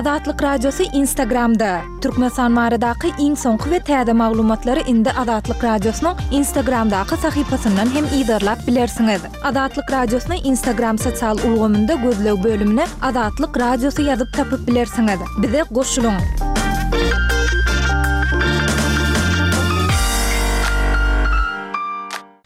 Azatlyk Radiosy Instagramda! Türkmenistan baradaky iň soňky we täze maglumatlary indi Azatlyk Radiosynyň Instagramdaky sahypasyndan hem yzarlap bilersiňiz. Azatlyk Radiosyny Instagram sosial ulgamynda gözleg bölümine Azatlyk Radiosy ýazyp tapyp bilersiňiz. Bize goşulyň!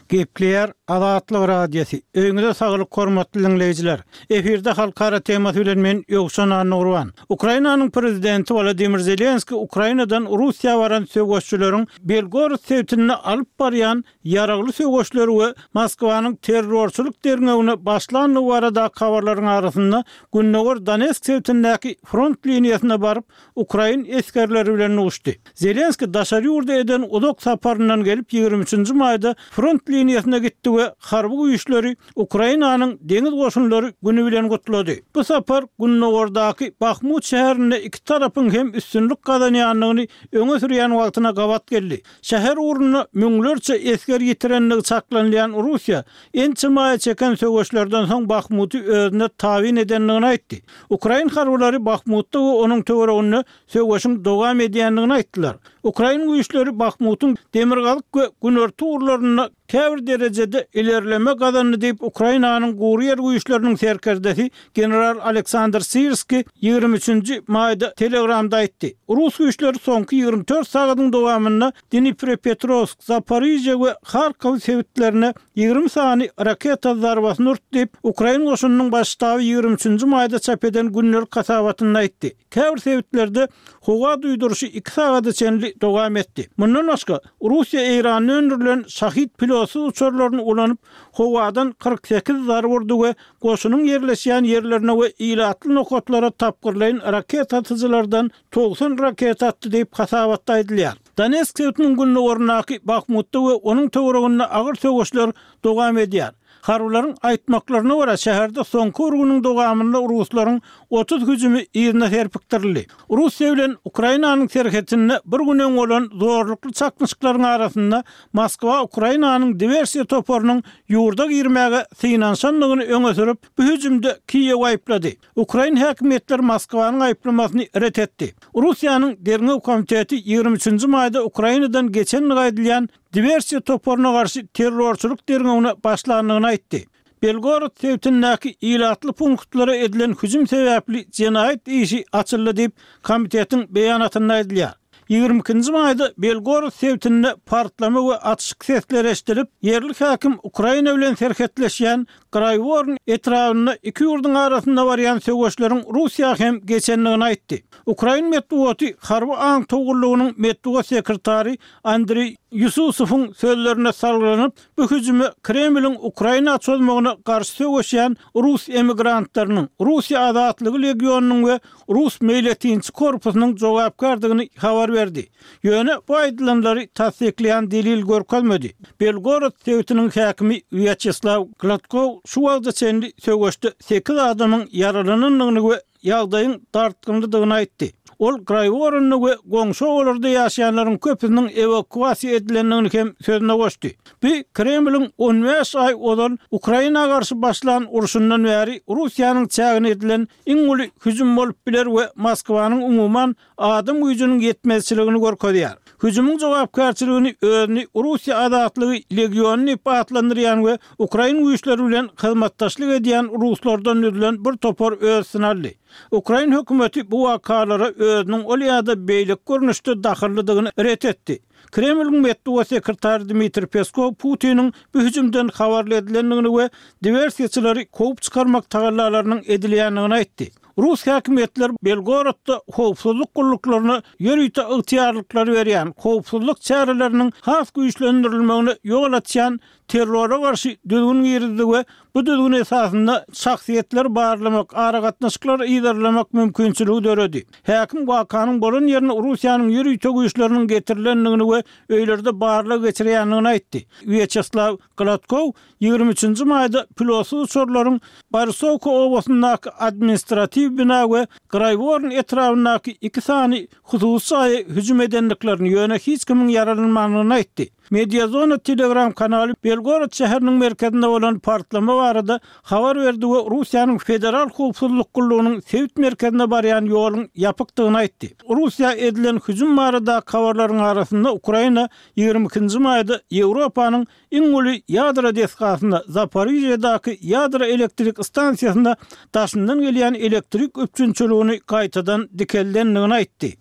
Gepleýär Azatlyk Radiosy. Öýüňize saglyk hormatly diňleýjiler. Efirde halkara temasy bilen men Ýowşan Annagurban. Ukrainanyň prezidenti Wolodymyr Zelenskiý Ukrainadan Russiýa baran söweşçileriň Belgorod sebitinde alyp barýan ýaragly söweşleri we Moskwanyň terrorçylyk derňewine başlandygy baradaky habarlaryň arasynda gündogar Donetsk sebitindäki front liniýasyna baryp, ukrain esgerleri bilen duşdy. Zelenskiý daşary ýurda eden uzak saparyndan gelip, ýigrimi üçünji maýda front liniýasyna gitdi we harby güýçleri Ukrainanyň Deňiz goşunlary güni bilen gutlady. Bu sapar gündogardaky Bahmut şäherinde iki tarapyň hem üstünlik gazanýandygyny öňe sürýän wagtyna gabat geldi. Şäher ugrunda müňlerçe esger ýitirendigi çaklanylýan Russiýa ençeme aýa çeken söweşlerden soň Bahmuty özüne tabyn edendigini aýtdy. Ukrain harbylary Bahmutda we onuň töwereginde söweşiň dowam edýändigini aýtdylar. Ukrain güýçleri Bahmutyň demirgazyk we günorta ugurlarynda käbir derejede ilerleme gazandy diýip, Ukrainanyň gury ýer güýçleriniň serkerdesi general Aleksandr Syrskiý 23 nji maýda Telegramda aýtdy. Rus güýçleri soňky 24 sagadyň dowamynda Dniprepetrowsk, Zaporižýa we Harkow sebitlerine 20 sany raketa zarbasyny urdy diýip, ukrain goşunynyň baş ştaby 23 nji maýda çap eden gündelik hasabatynda aýtdy. Käbir sebitlerde howa duýduryşy iki sagada çenli dowam etdi. Mundan başga, Russiýa Eýranda öndürilen Şahid pilotsyz uçarlaryny ulanyp, howadan 48 zarba urdy we goşunyň ýerleşýän ýerlerine we ilatly nokatlara tapgyrlaýyn raketa atyjylardan 90 raketa atdy diýip, hasabatda aýdylýar. Donetsk sebitiniň gündogaryndaky Bahmutda we onuň töwereginde agyr söweşler dowam edýär. Harbylaryň aýtmaklaryna görä, şäherde soňky bir günüň dowamynda ruslaryň 30 hüjümi yzyna serpikdirildi. Russiýa bilen Ukrainanyň serhetinde bir gün öň bolan zorlukly çaknyşyklaryň arasynda Moskwa Ukrainanyň diwersiýa toparynyň ýurda girmäge synanyşandygyny öňe sürüp, bu hüjümde Kiýewi aýyplady. Ukrain häkimiýetleri Moskwanyň aýyplamasyny ret etdi. Russiýanyň Derňew komiteti 23 nji maýda Ukrainadan geçendigi aýdylýan diwersiýa toparyna garşy terrorçylyk derňewine başlandygyny aýtdy. Belgorod sebitindäki ilatly punktlara edilen hüjüm sebäpli jenaýat işi açyldy diýip, komitetiň beýanatynda aýdylýar. 22 nji maýda Belgorod sebitinde partlama we atyşyk sesleri eşidilip, ýerli häkim Ukraina bilen serhetleşýän Graýworn etrabynda iki ýurduň arasynda barýan söweşleriň Russiýa hem geçendigini aýtdy. Ukrain metbugaty harby aňtaw gullugynyň metbugat sekretary Andriý Ýususowyň sözlerine salgylanyp, bu hüjüme Kremliň Ukraina çozmagyna garşy söweşýän rus emigrantlarynyň, Russiýa azatlygy legionynyň we rus meýletinçi korpusynyň jogapkärdigini habar berdi. Ýöne bu aýdylanlary tassyklaýan delil görkezmedi. Belgorod sebitiniň häkimi Wýaçeslaw Gladkow şu wagta çenli söweşde sekiz adamyň ýaralanandygyny we ýagdaýyň dartgynlydygyny aýtdy. Ol Graýworonda we goňşy obalarda ýaşaýanlaryň köpüsiniň ewakuasiýa edilendigini hem sözüne goşdy. Bu Kremliň 15 aý ozal Ukraina garşy başlan urşundan bäri Russiýanyň çägine edilen iň uly hüjüm bolup biler we Moskwanyň umuman adam güýjüniň ýetmezçiligini görkezýär. Hüjümiň jogapkärçiligini özüni Russiýa azatlygy legiony diýip atlandyrýan we ukrain güýçleri bilen hyzmatdaşlyk edýän ruslardan düzülen bir topar öz üstüne aldy. Ukrain hökümeti bu wakalara özüniň ol ýa-da beýleki görnüşde dahyllydygyny ret etdi. Kremliň metbugat sekretary Dmitriý Peskow Putiniň bu hüjümden habarly edilendigini we diwersiýaçylary kowup çykarmak tagallalarynyň edilýändigini aýtdy. Rus häkimiýetleri Belgorodda howpsuzlyk gulluklaryna ýörite ygtyýarlyklary berýän, howpsuzlyk çäreleriniň has güýçlendirilmegine ýol açýan terrora garşy düzgün girizdi we bu düzgün esasynda şahsyýetleri barlamak, aragatnaşyklary yzarlamak mümkinçiligi döredi. Häkim wakanyň bolan ýerine Russiýanyň ýörite güýçleriniň getirilendigini we öýlerde barlag geçirýändigini aýtdy. Wýaçeslaw Gladkow 23 nji maýda pilotsyz uçarlaryň Borisowka obasyndaky administratiw bina we Graýworn etrabyndaky iki sany hususy jaýa hüjüm edendiklerini, ýöne hiç kimiň ýaralanmandygyny aýtdy. Mediazona Telegram kanaly Belgorod şäheriniň merkezinde bolan partlama barada habar berdi we Russiýanyň Federal howpsuzlyk gullugynyň sebit merkezine barýan ýoluň ýapykdygyny aýtdy. Russiýa edilen hüjüm baradaky habarlaryň arasynda Ukraina 22-nji maýda Ýewropanyň iň uly ýadro desgasynda, Zaporižýadaky ýadro elektrik stansiýasynda daşyndan gelýän elektrik üpjünçiligini gaýtadan dikeldendigini aýtdy.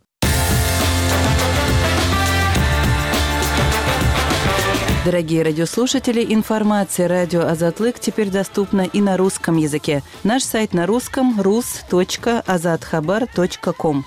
Дорогие радиослушатели, информация радио Азатлык теперь доступна и на русском языке. Наш сайт на русском rus.azathabar.com.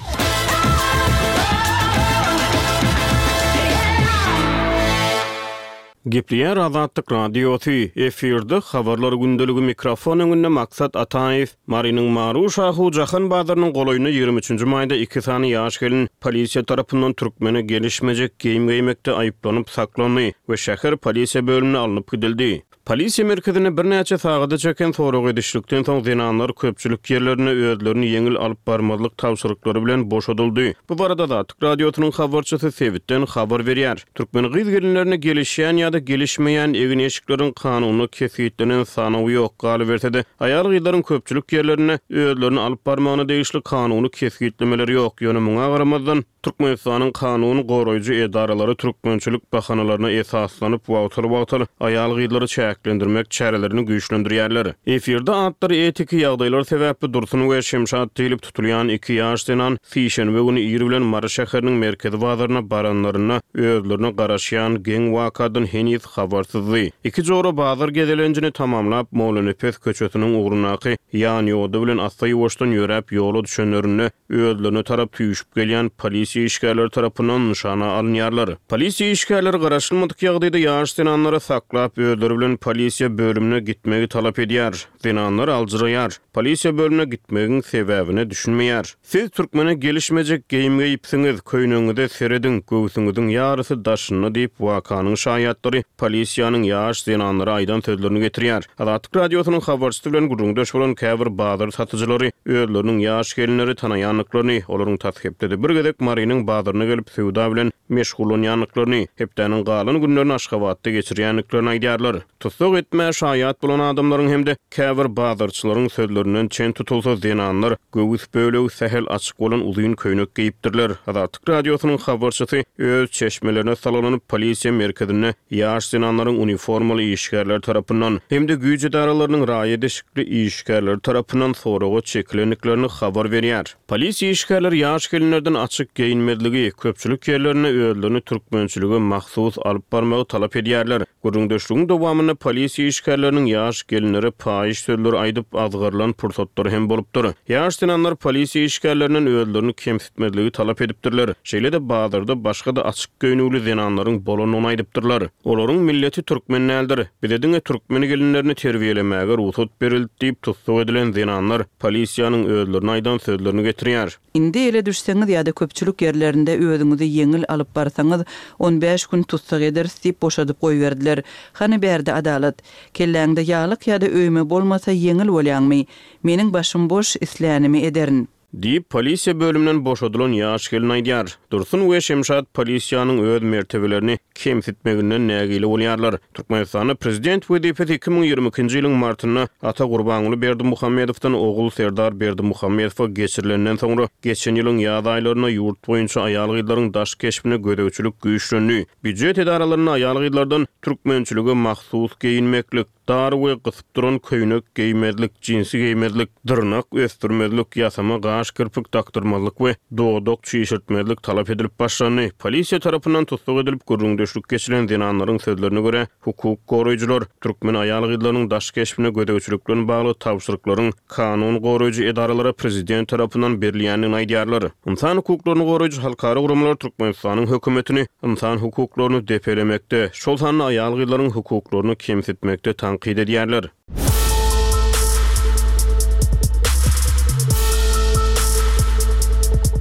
Gepleýär Azatlyk Radiosy, efirde Habarlar gündeligi mikrofon öňünde Maksat Ataýew. Marynyň Maru-Şahu jahan bazarynyň golaýynda 23 nji maýda iki sany ýaş gelin polisiýa tarapyndan türkmene gelişmejek geýim geýmekde aýyplanyp saklandy we şäher polisiýa bölümine alnyp gidildi. Polisiýa merkezinde birnäçe sagada çeken sorag edişlikden soň zenanlar köpçülik ýerlerinde özlerini ýeňil alyp barmazlyk tabşyryklary bilen boşadyldy. Bu barada Azatlyk Radiosynyň habarçysy sebitden habar berýär. Türkmen gyz-gelinlerine gelişýän ýa-da gelişmeýän egin-eşikleriň kanunda kesgitlenen sanawy ýok. Galyberse-de, aýal-gyzlaryň köpçülik ýerlerinde özlerini alyp barmagyna degişli kanuny kesgitlemeler ýok. Ýöne muňa garamazdan, Türkmenistanyň kanun goraýjy edaralary türkmençilik bahanalaryna esaslanyp, wagtal-wagtal aýal-gyzlary çäklendirmek çärelerini güýçlendirýärler. Efirde atlary etiki ýagdaýlar sebäpli Dursun we Şemşat diýlip tutulýan iki ýaş zenan sişenbe güni ir bilen Mary şäheriniň merkezi bazaryna baranlarynda özlerine garaşýan geň wakadan heniz habarsyzdy. Iki jora bazar gezelenjini tamamlap, Mollanepes köçesiniň ugrundaky ýanýoda bilen assa-ýuwaşdan ýöräp ýola düşenlerinde, özlerine tarap süýşüp gelýän polisiýa işgärleri tarapyndan nyşana alynýarlar. Polisiýa işgärleri garaşylmadyk ýagdaýda ýaş zenanlary saklap, özleri bilen polisiýa bölümine gitmegi talap edýär. Zenanlar aljyraýar. Polisiýa bölümine gitmegiň sebäbine düşünmeýär. Siz türkmene gelişmejek geýim geýipsiňiz, köýnegiňize serediň, göwsüňiziň ýarysy daşynda diýip, wakanyň şaýatlary polisiýanyň ýaş zenanlara aýdan sözlerini getirýär. Azatlyk Radiosynyň habarçysy bilen gürrüňdeş bolan käbir bazar satyjylary özleriniň ýaş gelinleri tanaýandyklaryny, olaryň tas hepdede bir gezek Marynyň bazaryna gelip söwda bilen meşgullanýandyklaryny, hepdäniň galan günlerini Aşgabatda geçirýändiklerini aýdýarlar. Tussag etmä şaýat bolan adamlaryň hem-de käbir bazarçylaryň sözlerinden çen tutulsa, zenanlar göwüs bölegi sähel açyk bolan uzyn köýnek geýipdirler. Azatlyk Radiosynyň habarçysy öz çeşmelerine salgylanyp, polisiýa merkezinde ýaş zenanlaryň uniformaly işgärler tarapyndan hem-de güýç edaralarynyň raýat eşikli işgärleri tarapyndan soraga çekilendiklerini habar berýär. Polisiýa işgärleri ýaş gelinlerden açyk geýinmezligi, köpçülik ýerlerinde özlerini türkmençilige mahsus alyp barmagy talap edýärler. Gürrüňdeşligiň dowamynda polisiýa işgärleriniň ýaş gelinlere paýyş sözleri aýdyp, azgyrylan pursatlary hem bolupdyr. Ýaş zenanlar polisiýa işgärlerinden özlerini kemsitmezligi talap edipdirler. Şeýle-de bazarda başga-da açyk geýnüwli zenanlaryň bolandygyny aýdypdyrlar. Olaryň milleti türkmen däldir. Bize diňe türkmen gelinlerini terbiýelemäge rugsat berildi diýip, tussag edilen zenanlar polisiýanyň özlerine aýdan sözlerini getirýär. Indi ele düşseňiz ýa-da köpçülik ýerlerinde özüňizi ýeňil alyp barsaňyz, on bäş gün tussag ederis diýip boşadyp goýberdiler. Hany bärde adalat? Kelläňde ýaglyk ýa-da öýme bolmasa ýeňil bolýaňmy? Meniň başym boş, islänimi ederin. Diýip, polisiýa bölüminden boşadylan ýaş gelin aýdýar. Dursun we Şemşat polisiýanyň öz mertebelerini kemsitmeginden nägile bolýarlar. Türkmenistanda prezident wezipesi 2022-nji ýylyň martynda ata Gurbanguly Berdimuhamedowdan ogul Serdar Berdimuhamedowa geçirilenden soňra, geçen ýylyň ýaz aýlarynda ýurt boýunça aýal-gyzlaryň daş keşbine gözegçilik güýçlendi. Býujet edaralarynda aýal-gyzlardan türkmençilige mahsus geýinmeklik, Dar we gysyp duran köýnek geýmezlik, jinsi geýmezlik, dyrnak ösdürmezlik, ýasama gaş-kirpik dakdyrmazlyk we dodak çişirtmezlik talap edilip başlandy. Polisiýa tarapyndan tussag edilip, gürrüňdeşlik geçilen zenanlaryň sözlerine görä, hukuk goraýjylar türkmen aýal-gyzlarynyň daş keşbine gözegçilik bilen bagly tabşyryklaryň kanun goraýjy edaralara prezident tarapyndan berilýändigini aýdýarlar. Ynsan hukuklaryny goraýjy halkara guramalar Türkmenistanyň hökümetini ynsan hukuklaryny depelemekde, şol sanda aýal-gyzlaryň hukuklaryny kemsitmekde tankyt edýärler.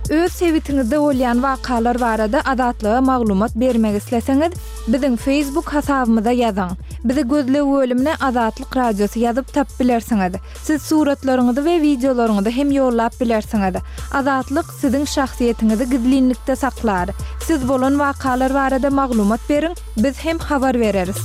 Öz sebitiňizde bolýan wakalar barada Azatlyga maglumat bermek isleseňiz, biziň Facebook hasabymyza ýazyň. Bizi gözleg bölümine Azatlyk Radiosy ýazyp tapyp bilersiňiz. Siz suratlaryňyzy we wideolaryňyzy hem ýollap bilersiňiz. Azatlyk siziň şahsyýetiňizi gizlinlikde saklar. Siz bolan wakalar barada maglumat beriň, biz hem habar bereris.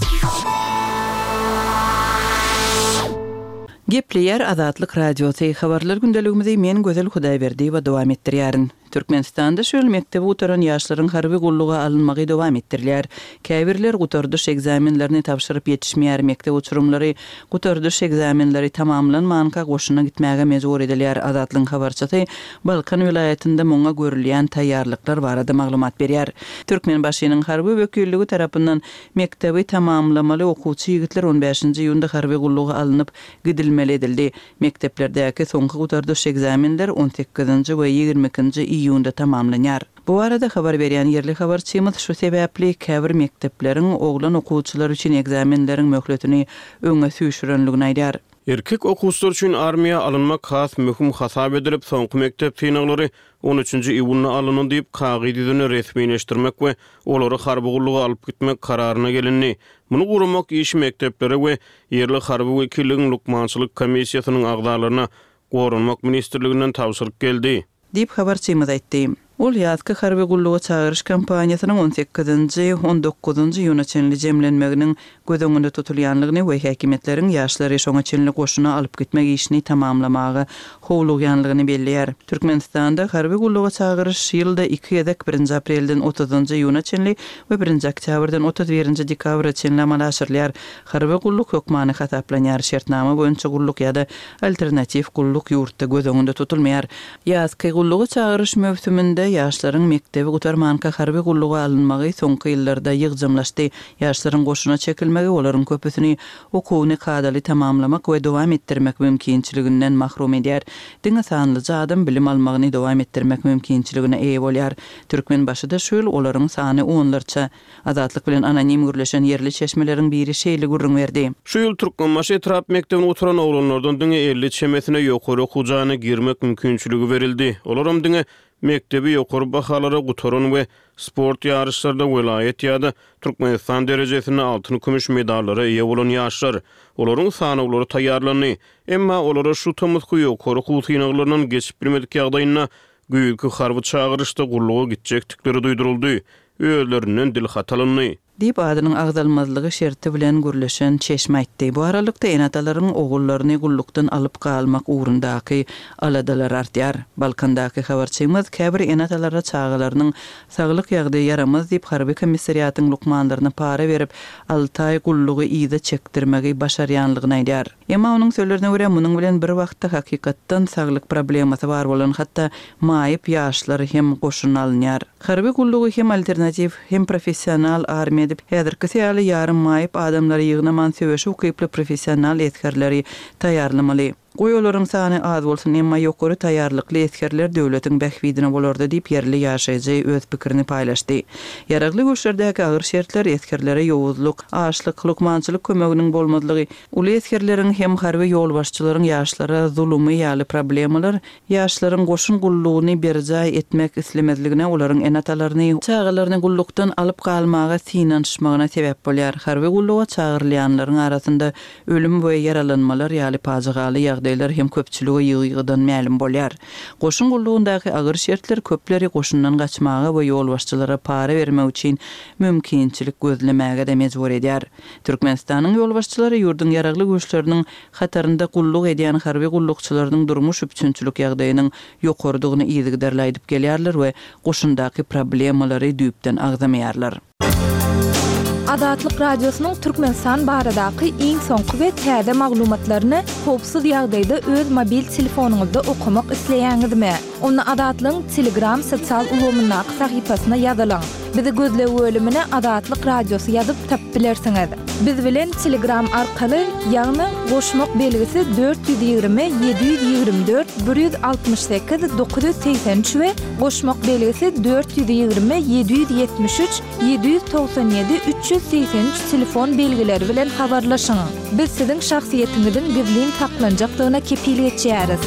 Gepleýär Azatlyk Radiosy, Habarlar gündeligimizi men Gözel Hudaýberdiýewa dowam etdirýärin. Türkmenistanda şu ýyl mekdebi gutaran ýaşlaryň harby gulluga alynmagy dowam etdirilýär. Käbirler gutardyş ekzamenlerini tabşyryp ýetişmeýär, mekdep uçurymlary gutardyş ekzamenleri tamamlanmanka goşuna gitmäge mejbur edilýär. Azatlygyň habarçysy Balkan welaýatynda muňa görülýän taýýarlyklar barada maglumat berýär. Türkmenbaşynyň harby wekilligi tarapyndan mekdebi tamamlamaly okuwçy ýigitler on bäşinji iýunda harby gulluga alnyp gidilmeli edildi. Mekdeplerdäki soňky gutardyş ekzamenler on sekizinji we 22 ikinji iýunda tamamlanýar. Bu barada habar berýän ýerli habarçymyz şu sebäpli käbir mekdepleriň oglan okuwçylar üçin ekzamenleriň möhletini öňe süýşürenligini aýdýar. Erkek okuwçylar üçin armiýa alynmak has möhüm hasap edilip, soňky mekdep synaglary on üçünji iýunda alyndy diýip, kagyz ýüzünde resmileşdirmek we olary harby gulluga alyp gitmek kararyna gelindi. Muny guramak işi mekdeplere we ýerli harby wekilligiň lukmançylyk komissiýasynyň agzalaryna Goranmak ministrliginden tabşyryk geldi. Diýip, habarçymyz aýtdy. Ol ýazky harby gulluga çagyryş kampaniýasynyň on sekizinji, on dokuzynjy iýuna çenli jemlenmeginiň göz öňünde tutulýanlygyny we häkimiýetleriň ýaşlary şoňa çenli goşuna alyp gitmek işini tamamlamaga howlugýanlygyny belleýär. Türkmenistanda harby gulluga çagyryş ýylda iki gezek, birinji aprelden otuzynjy iýuna çenli we birinji oktýabrdan 31 nji dekabra çenli amala aşyrylýar. Harby gulluk hökmany hasaplanýar, şertnama boýunça gulluk ýa-da alternatiw gulluk ýurtda göz öňünde tutulmaýar. Ýazky gulluga çagyryş möwsüminde ýaşlaryň mekdebi gutarmanka harby gulluga alynmagy soňky ýyllarda ýygjamlaşdy. Ýaşlaryň goşuna çekilmegi olaryň köpüsini okuwyny kadaly tamamlamak we dowam etdirmek mümkinçiliginden mahrum edýär. Diňe sanlyja adam bilim almagyny dowam etdirmek mümkinçiligine eýe bolýar. Türkmenbaşyda şu ýyl olaryň sany onlarça. Azatlyk bilen anonim gürleşen ýerli çeşmeleriň biri şeýle gürrüň berdi. Şu ýyl Türkmenbaşy etrap mekdebini gutaran oglanlardan diňe 50 çemesine ýokary okuw jaýyna girmek mümkinçiligi berildi. Olaram diňe mekdebi ýokary bahalara gutaran we sport ýaryşlarda welaýat ýa-da Türkmenistan derejesinde altyn-kümüş medallara eýe bolan ýaşlar. Olaryň sanawlary taýýarlandy. Emma olara şu tomusky ýokary okuw synaglaryndan geçip bilmedik ýagdaýynda Güýzki harby çagyryşda gulluga gitjekdikleri duýduryldy, özlerinden dilhat alyndy. Diýip, adynyň agzalmazlygy şerti bilen gürleşen çeşme aýtdy. Bu aralykda, ene-atalaryň ogullaryny gullukdan alyp galmak ugrundaky aladalary artýar. Balkandaky habarçymyz käbir ene-atalara çagalarynyň saglyk ýagdaýy ýaramaz diýip, harby komissariatyň lukmanlaryna para berip, alty aý gullugy yza çekdirmegi başarýanlygyny aýdýar. Emma onuň sözlerine görä, munuň bilen bir wagtda hakykatdan saglyk problemasy bar bolan, hatda maýyp ýaşlar hem goşuna alynýar. Harby gullugy hem alternatiw, hem professional armiýa edip, häzirkisi ýaly ýarym maýyp adamlary ýygnaman söweşe ukyply professional esgerleri taýýarlamaly. Goý olaryň sany az bolsun, emma ýokary taýýarlykly esgerler döwletiň bähbidine bolardy diýip, ýerli ýaşaýjy öz pikirini paýlaşdy. Ýaragly güýçlerdäki agyr şertler, esgerlere ýowuzlyk, açlyk, lukmançylyk kömeginiň bolmazlygy, uly esgerleriň hem harby ýolbaşçylaryň ýaşlara zulumy ýaly problemalar ýaşlaryň goşun gullugyny berjaý etmek islemezligine, olaryň ene-atalaryny, çagalaryny gullukdan alyp galmaga synanyşmagyna sebäp bolýar. Harby gulluga çagyrylýanlaryň arasynda Ölüm we ýaralanmalar ýaly pajygaly ýagdaýlar hem köpçülige ýygy-ýygydan mälim bolýar. Goşun gullugyndaky agyr şertler köpleri goşundan gaçmaga we ýolbaşçylara para bermek üçin mümkinçilik gözlemäge-de mejbur edýär. Türkmenistanyň ýolbaşçylary ýurduň Ýaragly Güýçleriniň hatarynda gulluk edýän harby gullukçylarynyň durmuş üpjünçilik ýagdaýynyň ýokarydygyny yzygiderli aýdyp gelýärler we goşundaky problemalary düýpden agzamaýarlar. Azatlyk Radiosynyň Türkmenistan baradaky iň soňky we täze maglumatlaryny howpsuz ýagdaýda öz mobil telefonyňyzda okamak isleýäňizmi? Onda Azatlygyň Telegram sosial ulgamyndaky sahypasyna ýazylyň. Bizi gözleg bölümine Azatlyk Radiosy ýazyp tapyp bilersiňiz. Biz bilen Telegram arkaly, ýagny goşmak belgisi 420 724 168 983 we Goşmak belgisi 420 773 797 383 telefon belgileri bilen habarlaşyň. Biz siziň şahsyýetiňiziň gizlin saklanjakdygyna kepil geçýäris.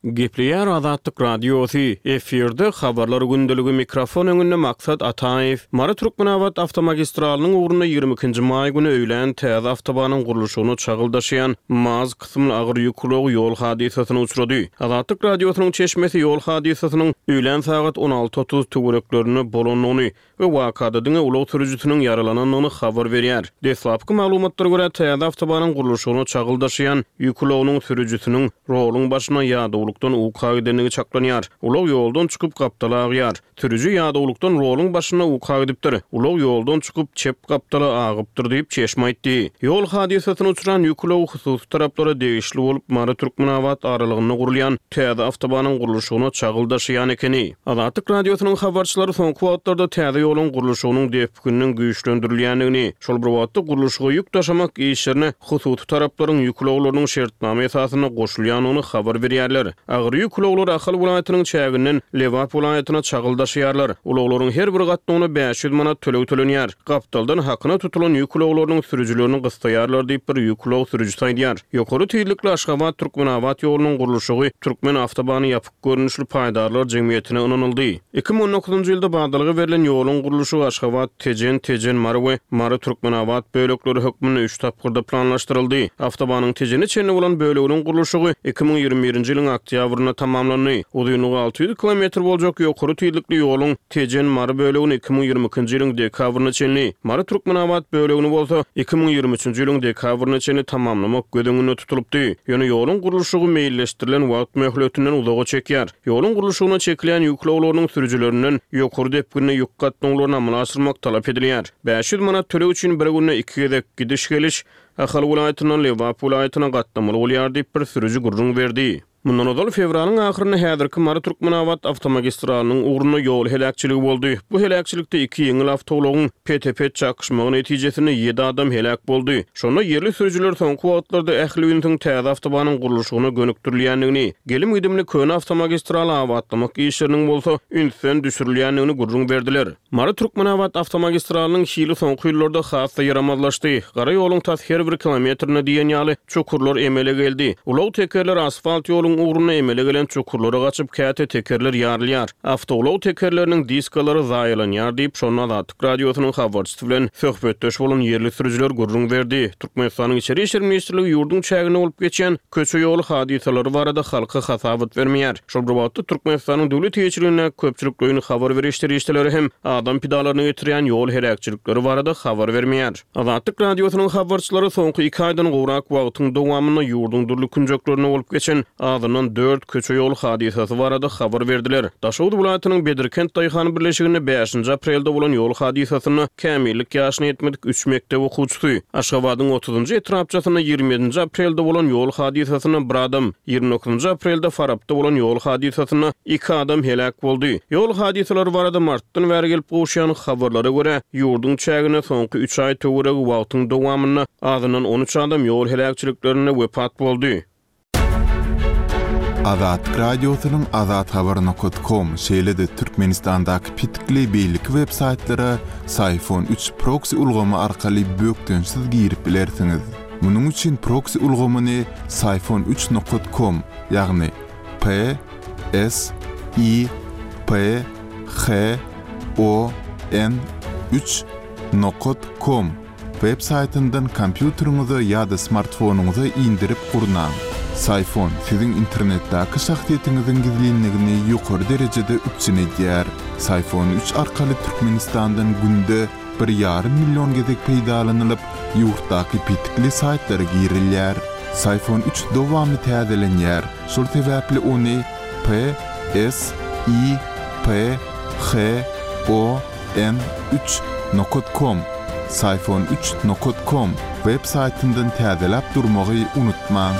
Gepleýär Azatlyk Radiosy, efirde Habarlar gündeligi mikrofon öňünde Maksat Ataýew. Mary-Türkmenabat awtomagistralynyň ugrunda 22 nji maý güni öýlän täze awtobanyň gurluşygyna çagyl daşaýan MAZ kysymly agyr ýük ulagy ýol hadysasyna uçrady. Azatlyk Radiosynyň çeşmesi ýol hadysasynyň öýlän sagat 16.30 töwereklerinde bolandygyny we wakada diňe ulag sürüjisiniň ýaralanandygyny habar berýär. Deslapky maglumatlara görä, täze awtobanyň gurluşygyna çagyl daşaýan ýük ulagynyň sürüjisiniň roluň başyna ýadawlykdan uka gidendigi çaklanýar. Ulag ýoldan çykyp, gapdala agýar. Sürüji ýadawlykdan roluň başynda uka gidipdir. Ulag ýoldan çykyp, çep gapdala agypdyr diýip, çeşme aýtdy. Ýol hadysasyna uçran ýük ulagy hususy taraplara degişli bolup, Mary-Türkmenabat aralygynda gurulýan täze awtobanyň gurluşygyna çagyl daşaýan ekeni. Azatlyk Radiosynyň habarçylary soňky wagtlarda täze ýoluň gurluşygynyň depgininiň güýçlendirilýändigini, şol bir wagtda gurluşyga ýük daşamak işlerine hususy taraplaryň ýük ulaglarynyň şertnama esasynda goşulýandygyny habar berýärler. Agyr ýük ulaglary Ahal welaýatynyň çäginden Lebap welaýatyna çagyl daşaýarlar. Ulaglaryň her bir gatnawyna 500 manat töleg tölenýär. Gapdaldan hakyna tutulan ýük ulaglarynyň sürüjilerini gyssaýarlar diýip, bir ýük ulag sürüjisi aýdýar. Ýokary tizlikli Aşgabat-Türkmenabat ýolunyň gurluşygy Türkmen awtobany ýapyk görnüşli paýdarlar jemgyýetine ynanyldy. 2019-njy ýylda badalga berlen ýoluň gurluşygy Aşgabat, Tejen, Tejen, Mary we Mary, Türkmenabat bölekleri hökmünde üç tapgyrda planlaşdyryldy. Awtobanyň Tejene çenli bolan böleginiň gurluşygy 2021-nji ýylyň oktýabrynda tamamlandy. Uzynlygy 600 kilometr boljak ýokary tizlikli ýoluň Tejen, Mary bölegini 2022-nji ýylyň dekabryna çenli, Mary, Türkmenabat bölegini bolsa 2023-nji ýylyň dekabryna çenli tamamlamak göz öňünde tutulypdy. Ýöne ýoluň gurluşygy meýilleşdirilen wagt möhletinden uzaga çekýär. Ýoluň gurluşygyna çekilýän ýük ulaglarynyň sürüjilerinden ýokary depginde ýük gatnawlaryny amala aşyrmak talap edilýär. 500 manat töleg üçin bir günde iki gezek gidiş-geliş Ahal welaýatyndan Lebap welaýatyna gatnamaly bolýar diýip, bir sürüji gürrüň berdi. Mundan ozal, fewralyň ahyrynda häzirki Mary-Türkmenabat awtomagistralynyň ugrunda ýol heläkçiligi boldy. Bu heläkçilikde iki ýeňil awtoulagyň pete-pet çakyşmagy netijesinde ýedi adam heläk boldy. Şonda ýerli sürüjiler soňky wagtlarda ähli ünsüň täze awtobanyň gurluşygyna gönükdirilýändigini, gelim-gidimli köne awtomagistraly abatlamak işleriniň bolsa ünsden düşürilýändigini gürrüň berdiler. Mary-Türkmenabat awtomagistralynyň hili soňky ýyllarda has-da ýaramazlaşdy. Gara ýoluň tas her bir kilometrinde diýen ýaly çukurlar emele geldi. Ulag tekerleri asfalt ýoluň ugrunda emele gelen çukurlara gaçyp, käte tekerler ýarylýar. Awtoulag tekerleriniň diskalary zaýalanýar diýip, şonda Azatlyk Radiosynyň habarçysy bilen söhbetdeş bolan ýerli sürüjiler gürrüň berdi. Türkmenistanyň Içeri işler ministrligi ýurduň çäginde bolup geçýän köçe-ýol hadysalary barada halka hasabat bermeýär. Şol bir wagtda, Türkmenistanyň döwlet eýeçiligindäki köpçülikleýin habar beriş serişdeleri hem adam pidalaryna getirýän ýol heläkçilikleri barada habar bermeýär. Azatlyk Radiosynyň habarçylary soňky iki aýdan gowrak wagtyň dowamynda ýurduň dürli künjeklerinde bolup geçen azyndan dört köçe-ýol hadysasy barada habar berdiler. Daşoguz welaýatynyň Bedirkent daýhan birleşiginde bäşinji aprelde bolan ýol hadysasynda kämillik ýaşyna ýetmedik üç mekdep okuwçysy, Aşgabadyň otuzynjy etrapçasynda 27 nji aprelde bolan ýol hadysasynda bir adam, 29 nji aprelde Farapda bolan ýol hadysasynda iki adam heläk boldy. Ýol hadysalary barada martdan bäri gelip gowuşýan habarlara görä, ýurduň çäginde soňky üç aý töweregi wagtyň dowamynda azyndan 13 adam ýol heläkçiliklerinde wepat boldy. Azatlyk Radiosynyň Azathabar nokat kom, şeýle-de Türkmenistandaky petikli beýleki web-saýtlara Syfon üç proksi ulgamy arkaly bökdençsiz girip bilersiňiz. Munuň üçin proksi ulgamyny Syfon üç nokat kom, ýagny P S I P H O N üç nokat kom web saýtyndan kompýuteriňize ýa-da smartfonyňyza indirip gurnaň. Syfon siziň internetdäki şahsyýetiňiziň gizlinligini ýokary derejede üpjün edýär. Syfon üç arkaly Türkmenistandan günde bir ýarym million gezek peýdalanylyp, ýurtdaky petikli saýtlara girilýär. Syfon üç dowamly täzelenýär, şol sebäpli ony P S I P H O N üç nokat kom, Syfon üç nokat kom, web saýtyndan täzeläp durmagy unutmaň.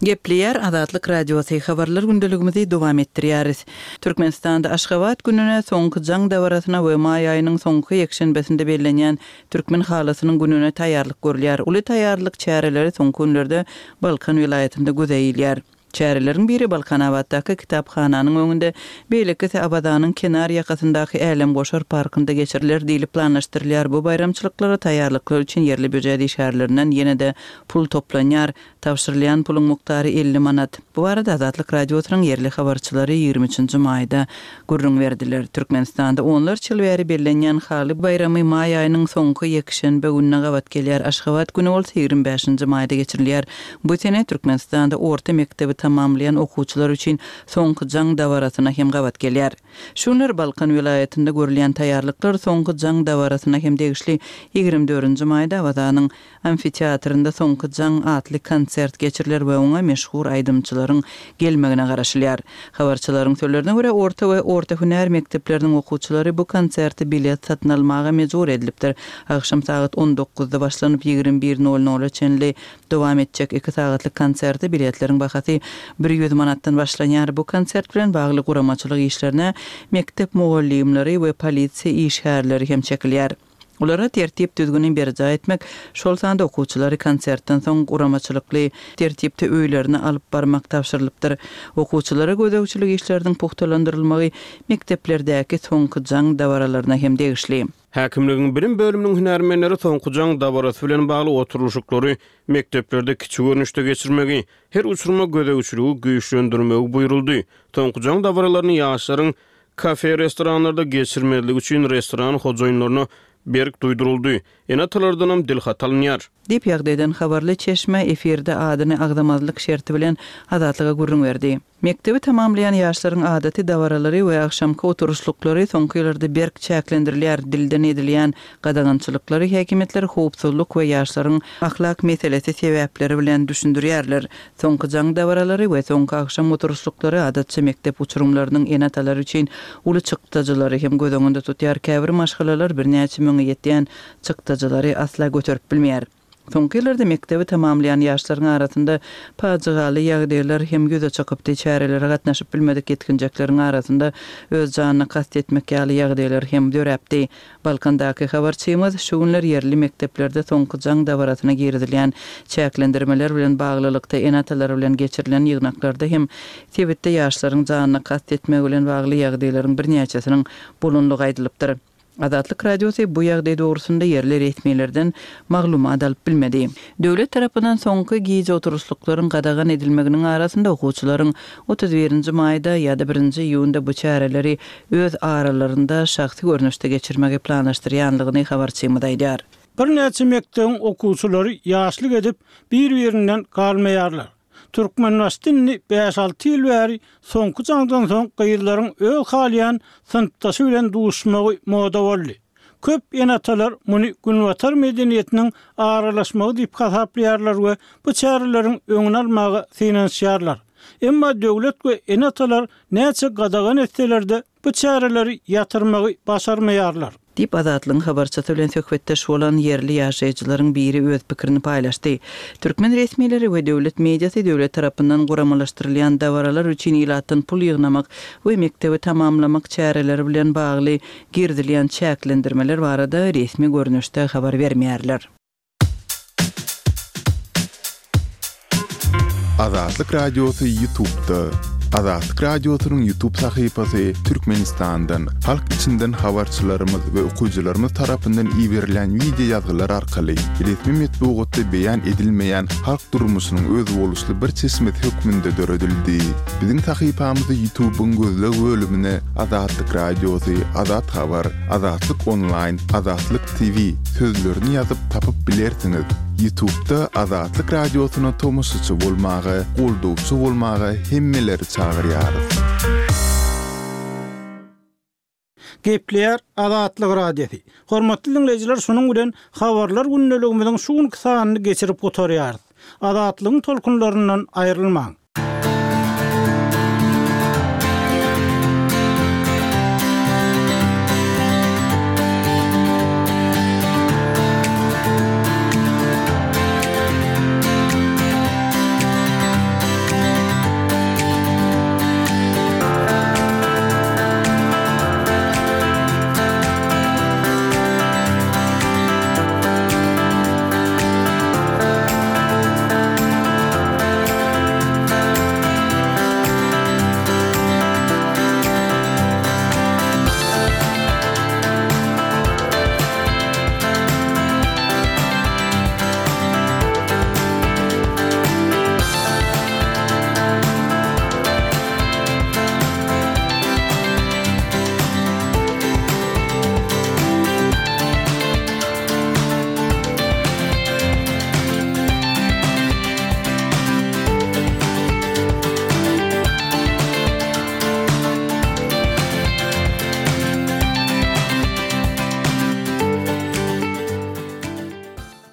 Gepleýär Azatlyk Radiosy, Habarlar gündeligimizi dowam etdirýäris. Türkmenistanda Aşgabat gününe, Soňky jaň dabarasyna we maý aýynyň soňky ýekşenbesinde bellenýän Türkmen halysynyň gününe taýýarlyk görülýär. Uly taýýarlyk çäreleri soňky günlerde Balkan welaýatynda göze ilýär. Çäreleriň biri Balkanabatdaky kitaphananyň öňünde, beýlekisi Awazanyň kenar ýakasyndaky Älemgoşar parkynda geçiriler diýlip planlaşdyrylýar. Bu baýramçylyklara taýýarlyklar üçin ýerli býujet işgärlerinden ýene-de pul toplanýar. Tabşyrylýan puluň mukdary 50 manat. Bu barada Azatlyk Radiosynyň ýerli habarçylary ýigrimi üçünji maýda gürrüň berdiler. Türkmenistanda onlarça ýyl bäri bellenýän Haly baýramy maý aýynyň soňky ýekşenbe gününe gabat gelýär. Aşgabat güni bolsa ýigrimi bäşinji maýda geçirilýär. Bu sene Türkmenistanda orta mekdebi tamamlaýan okuwçylar üçin Soňky jaň dabarasyna hem gabat gelýär. Şu günler Balkan welaýatynda görülýän taýýarlyklar Soňky jaň dabarasyna hem degişli. Ýigrimi dördünji maýda Awazanyň Amfiteatrynda Soňky jaň atly konsert geçiriler we oňa meşhur aýdymçylaryň gelmegine garaşylýar. Habarçylaryň sözlerine görä, orta we orta hünär mekdepleriniň okuwçylary bu konserte bilet satyn almaga mejbur edilipdir. Agşam sagat on dokuzda başlanyp, 21 nol nola çenli dowam etjek iki sagatlyk konserte biletleriň bahasy 100 manatdan başlanýar. Bu konsert bilen bagly guramaçylyk işlerine mekdep mugallymlary we polisiýa işgärleri hem çekilýär. Olara tertip-düzgüni berjaý etmek, şol sanda okuwçylary konsertden soň guramaçylykly tertipde öýlerine alyp barmak tabşyrylypdyr. Okuwçylara gözegçilik işleriniň pugtalandyrylmagy mekdeplerdäki Soňky jaň dabaralaryna hem degişli. Häkimligiň bilim bölüminiň hünärmenleri Soňky jaň dabarasy bilen bagly oturylyşyklary mekdeplerde kiçi görnüşde geçirmegi, her uçuryma gözegçiligi güýçlendirmegi buýruldy. Soňky jaň dabaralaryny ýaşlaryň Kafe-restoranlarda geçirmezlik üçin restoran hojaýynlaryna berk duýduryldy. Ene-atalardanam dilhat alynýar. Diýip, ýagdaýdan habarly çeşme efirde adyny agzamazlyk şerti bilen Azatlyga gürrüň berdi. Mekdebi tamamlaýan ýaşlaryň adaty dabaralary we agşamky oturyşlyklary soňky ýyllarda berk çäklendirilýär, dilden edilýän gadagançylyklary häkimiýetler howpsuzlyk we ýaşlaryň ahlak meselesi sebäpleri bilen düşündirýärler. Soňky jaň dabaralary we soňky agşam oturyşlyklary adatça mekdep uçurymlarynyň ene-atalary üçin uly çykdajylary hem göz öňünde tutýar. Käbir maşgalalar birnäçe müňe ýetýän çykdajylary asla göterip bilmeýär. Soňky ýyllarda mekdebi tamamlaýan ýaşlaryň arasynda pajygaly ýagdaýlar hem ýüze çykypdy. Çärelere gatnaşyp bilmedik ýetginjekleriň arasynda öz janyna kast etmek ýaly ýagdaýlar hem döräpdi. Balkandaky habarçymyz şu günler ýerli mekdeplerde soňky jaň dabarasyna girizilýän çäklendirmeler bilen baglylykda ene-atalar bilen geçirilen ýygnaklarda hem sebitde ýaşlaryň janyna kast etmegi bilen bagly ýagdaýlaryň birnäçesiniň bolandygy aýdylypdyr. Azatlyk Radiosy bu ýagdaý dogrusynda ýerli resmilerden maglumat alyp bilmedi. Döwlet tarapyndan soňky gije oturyşlyklaryň gadagan edilmeginiň arasynda okuwçylaryň 31 nji maýda ýa-da birinji iýunda bu çäreleri öz aralarynda şahsy görnüşde geçirmegi planlaşdyrýanlygyny habarçymyz aýdýar. Birnäçe mekdebiň okuwçylary ýaşlyk edip, bir-birinden galmaýarlar. Türkmenbaşyda indi bäş-alty ýyl bäri soňky jaňdan soň gyzlaryň öz halaýan synpdaşy bilen duşmagy moda boldy. Köp ene-atalar muny günbatar medeniýetiniň aralaşmagy diýip hasaplaýarlar we bu çäreleriň öňüni almaga synanyşýarlar. Emma döwlet we ene-atalar näçe gadagan etseler-de, bu çäreleri ýatyrmagy başarmaýarlar. Diýip, Azatlygyň habarçysy bilen söhbetdeş bolan ýerli ýaşaýjylaryň biri öz pikirini paýlaşdy. Türkmen resmileri we döwlet mediasy döwlet tarapyndan guramalaşdyrylýan dabaralar üçin ilatdan pul ýygnamak we mekdebi tamamlamak çäreleri bilen bagly girizilýän çäklendirmeler barada resmi görnüşde habar bermeýärler. Azatlyk Radiosy Ýutubda. Azatlyk Radiosynyň Ýutub sahypasy Türkmenistandan, halk içinden habarçylarymyz we okyjylarymyz tarapyndan iberilýän wideo ýazgylar arkaly resmi metbugatda beýan edilmeýän halk durmuşynyň özboluşly bir çeşmesi hökmünde döredildi. Biziň sahypamyzy Ýutubyň gözleg bölümine Azatlyk Radiosy, Azat Habar, Azatlyk Onlaýn, Azatlyk TV sözlerini ýazyp tapyp bilersiňiz. Ýutubda Azatlyk Radiosyna tomaşaçy bolmaga, goldawçy bolmaga hemmeleri çagyrýarys. Gepleýär Azatlyk Radiosy. Hormatly diňleýjiler şunuň bilen Habarlar gündeligimiziň şu günki sanyny geçirip gutarýarys. Azatlygyň tolkunlaryndan aýrylmaň.